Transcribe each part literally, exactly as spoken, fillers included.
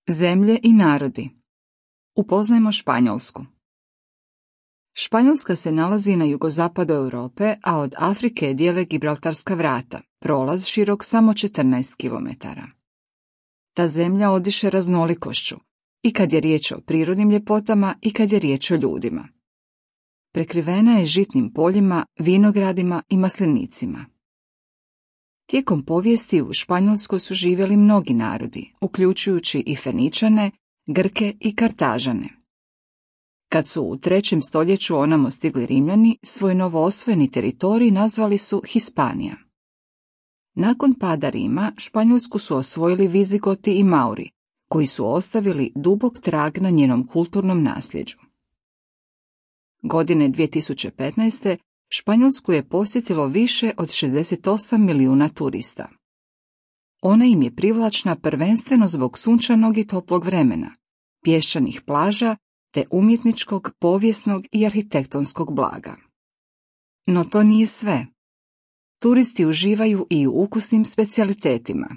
Zemlje i narodi. Upoznajmo Španjolsku. Španjolska se nalazi na jugozapadu Europe, a od Afrike je dijele Gibraltarska vrata, prolaz širok samo četrnaest kilometara. Ta zemlja odiše raznolikošću, i kad je riječ o prirodnim ljepotama i kad je riječ o ljudima. Prekrivena je žitnim poljima, vinogradima i maslinicima. Tijekom povijesti u Španjolskoj su živjeli mnogi narodi, uključujući i Feničane, Grke i Kartažane. Kad su u trećem stoljeću onamo stigli Rimljani, svoj novoosvojeni teritorij nazvali su Hispanija. Nakon pada Rima, Španjolsku su osvojili Vizigoti i Mauri, koji su ostavili dubok trag na njenom kulturnom nasljeđu. Godine dvije tisuće petnaeste. Španjolsku je posjetilo više od šezdeset osam milijuna turista. Ona im je privlačna prvenstveno zbog sunčanog i toplog vremena, pješčanih plaža te umjetničkog, povijesnog i arhitektonskog blaga. No to nije sve. Turisti uživaju i u ukusnim specijalitetima.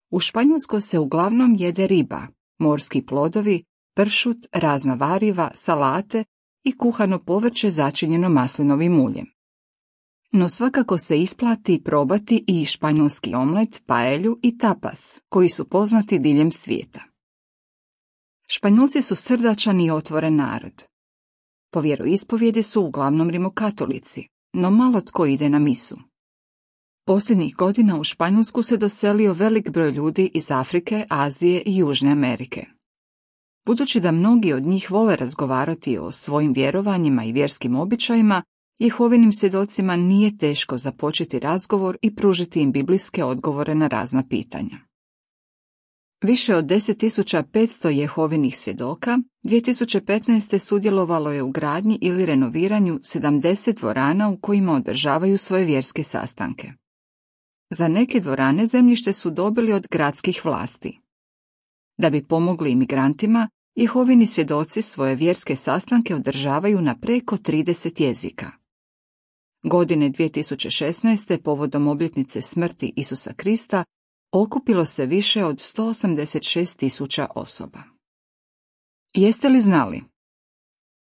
U Španjolskoj se uglavnom jede riba, morski plodovi, pršut, razna variva, salate i kuhano povrće začinjeno maslinovim uljem. No svakako se isplati probati i španjolski omlet, paelju i tapas, koji su poznati diljem svijeta. Španjolci su srdačan i otvoren narod. Po vjeroispovijedi su uglavnom rimokatolici, no malo tko ide na misu. Posljednjih godina u Španjolsku se doselio velik broj ljudi iz Afrike, Azije i Južne Amerike. Budući da mnogi od njih vole razgovarati o svojim vjerovanjima i vjerskim običajima, Jehovinim svjedocima nije teško započeti razgovor i pružiti im biblijske odgovore na razna pitanja. Više od deset tisuća petsto Jehovinih svjedoka dvije tisuće petnaeste. sudjelovalo je u gradnji ili renoviranju sedamdeset dvorana u kojima održavaju svoje vjerske sastanke. Za neke dvorane zemljište su dobili od gradskih vlasti. Da bi pomogli imigrantima, Jehovini svjedoci svoje vjerske sastanke održavaju na preko trideset jezika. Godine dvije tisuće šesnaeste. povodom obljetnice smrti Isusa Krista okupilo se više od sto osamdeset šest tisuća osoba. Jeste li znali?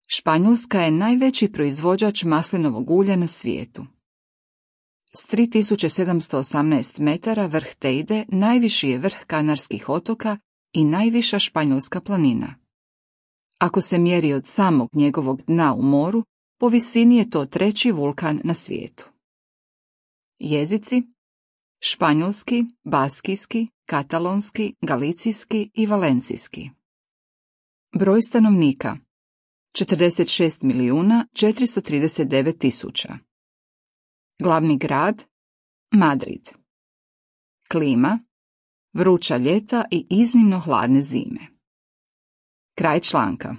Španjolska je najveći proizvođač maslinovog ulja na svijetu. S tri tisuće sedamsto osamnaest metara vrh Teide najviši je vrh Kanarskih otoka i najviša španjolska planina. Ako se mjeri od samog njegovog dna u moru, po visini je to treći vulkan na svijetu. Jezici: španjolski, baskijski, katalonski, galicijski i valencijski. Broj stanovnika: četrdeset šest milijuna četiristo trideset devet tisuća. Glavni grad: Madrid. Klima: vruća ljeta i iznimno hladne zime. Kraj članka.